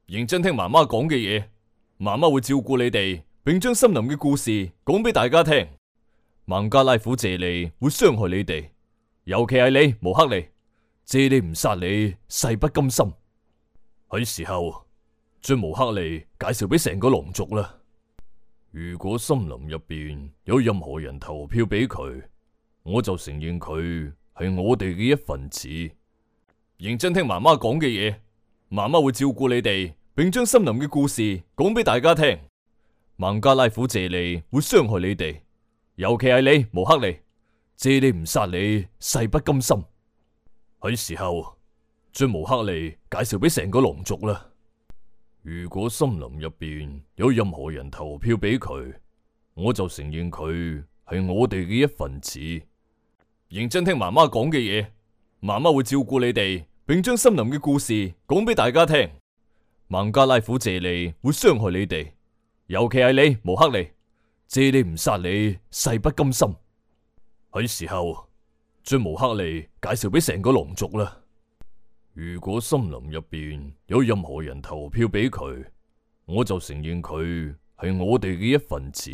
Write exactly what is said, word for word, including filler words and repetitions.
認真聽媽媽講嘅嘢，媽媽會照顧你哋，並將森林嘅故事講俾大家聽。孟加拉虎謝利會傷害你哋，尤其係你，毛克利。謝利唔殺你，誓不甘心。係時候將毛克利介紹俾成個狼族啦。如果森林入邊有任何人投票俾佢，我就承認佢係我哋嘅一份子。認真聽媽媽講嘅嘢，媽媽會照顧你哋，並將森林嘅故事講俾大家聽。孟加拉虎謝利會傷害你哋，尤其係你，毛克利。謝利唔殺你，誓不甘心。係時候將毛克利介紹俾成個狼族啦。如果森林入邊有任何人投票俾佢，我就承認佢係我哋嘅一份子。認真聽媽媽講嘅嘢，媽媽會照顧你哋，並將森林嘅故事講俾大家聽。孟加拉虎謝利會傷害你哋，尤其係你，毛克利。謝利唔殺你，誓不甘心。係時候將毛克利介紹俾成個狼族啦。如果森林入邊有任何人投票俾佢，我就承認佢係我哋嘅一份子。